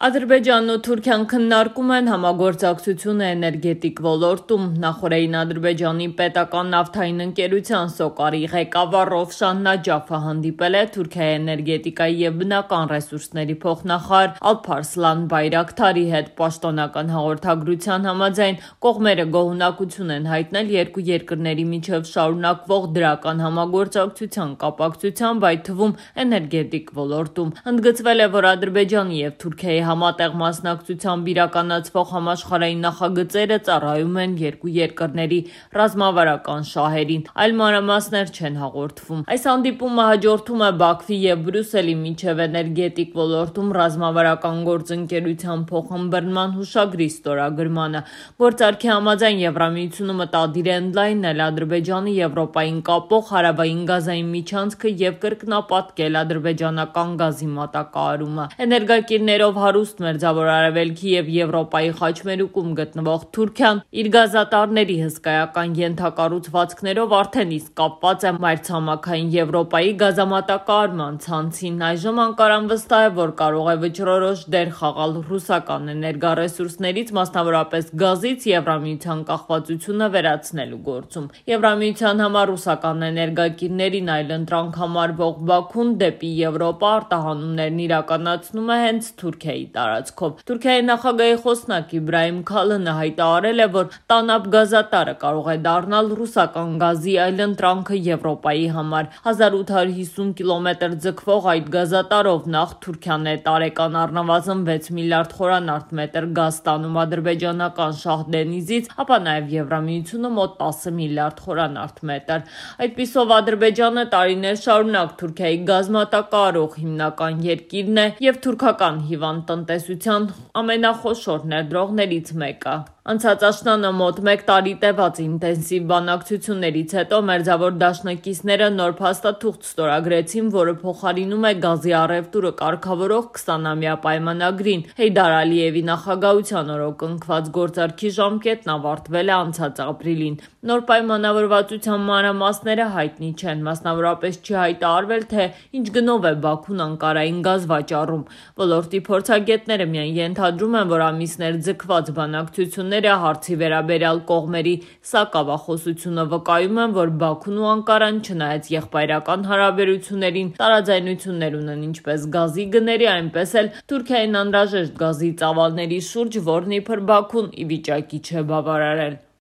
Ադրբեջանն ու Թուրքիան քննարկում են համագործակցությունը էներգետիկ ոլորտում։ Նախորդին Ադրբեջանի պետական նավթային ընկերության Սոկարի ղեկավար Ռովշան Նաջաֆը հանդիպել է Թուրքիայի էներգետիկայի և բնական ռեսուրսների փոխնախարար Ալփարսլան Բայրակթարի հետ։ Պաշտոնական հաղորդագրության համաձայն կողմերը գոհունակություն են հայտնել երկու երկրների միջև շարունակվող դրական համագործակցության կապակցությամբ, այդ թվում էներգետիկ ոլորտում։ Ընդգծվել է, որ Ադրբեջանի և Թուրքիայի համատեղ մասնակցությամբ իրականացվող համաշխարհային նախագծերը ծառայում են երկու երկրների ռազմավարական շահերին, այլ մանրամասներ չեն հաղորդվում։ Այս հանդիպումը հաջորդում է Բաքվի և Բրյուսելի միջև էներգետիկ ոլորտում ռազմավարական գործընկերության փոխըմբռնման հուշագրի ստորագրմանը։ Գործարքի համաձայն Եվրամիությունը մտադիր է ընդլայնել Ադրբեջանը Եվրոպային կապող հարավային գազային միջանցքը և կրկնապատկել ադրբեջանական գազի մատակարարումը։ Էներգակիրներով հարուստ Մերձավոր Արևելքի և Եվրոպայի խաչմերուկում գտնվող Թուրքիան իր գազատարների հսկայական ենթակառուցվածքներով արդեն իսկ կապված է մայրցամաքային Եվրոպայի գազամատակարարման ցանցին։ Այժմ Անկարան վստահ է, որ կարող է վճռորոշ դեր խաղալ ռուսական էներգառեսուրսներից, մասնավորապես գազից, Եվրամիության կախվածությունը վերացնելու գործում։ Եվրամիության համար ռուսական էներգակիրներին այլընտրանք համարվող Բաքուն դեպի Եվրոպա արտահանումներն իրականացնում է հենց Թուրքիայի տարածքով։ Թուրքիայի նախագահի խոսնակ Իբրահիմ Քալնը հայտարարել է, որ Տանապ գազատարը կարող է դառնալ ռուսական գազի այլընտրանքը Եվրոպայի համար։ 1850 կիլոմետր ձգվող այդ գազատարով նախ Թուրքիան է տարեկան առնվազն 6 միլիարդ խորանարդ գազ ստանում ադրբեջանական Շահդենիզից, ապա նաև Եվրամիությունը մոտ 10 միլիարդ խորանարդ։ Այդպիսով Ադրբեջանը տարիներ շարունակ Թուրքիայի գազ մատակարարող հիմնական երկիրն է և թուրքական հիվանդ տնտեսության ամենախոշոր ներդրողներից մեկը։ Անցած աշնանը մոտ 1 տարի տևած ինտենսիվ բանակցություններից հետո Մերձավոր դաշնակիցները նոր փաստաթուղթ ստորագրեցին, որը փոխարինում է գազի առևտուրը կարգավորող 20-ամյա պայմանագրին։ Հեյդար Ալիևի նախագահության օրոք ընկված գործարքի ժամկետն ավարտվել է անցած ապրիլին։ Նոր պայմանավորվածության մանրամասները հայտնի չեն, մասնավորապես չի հայտարարվել, թե ինչ գնով է Բաքուն Անկարային գազ վաճառում։ Ոլորտի փորձագետները միայն ենթադրում են, որ ամիսներ ձգված բանակցությունները հարցի վերաբերյալ կողմերի սակավախոսությունը վկայում են, որ Բաքուն ու Անկարան, չնայած եղբայրական հարաբերություններին, տարաձայնություններ ունեն ինչպես գազի գների, այնպես էլ Թուրքիային անհրաժեշտ գազի ծավալների շուրջ, որն իբր Բաքուն ի վիճակի չէ բավարարել։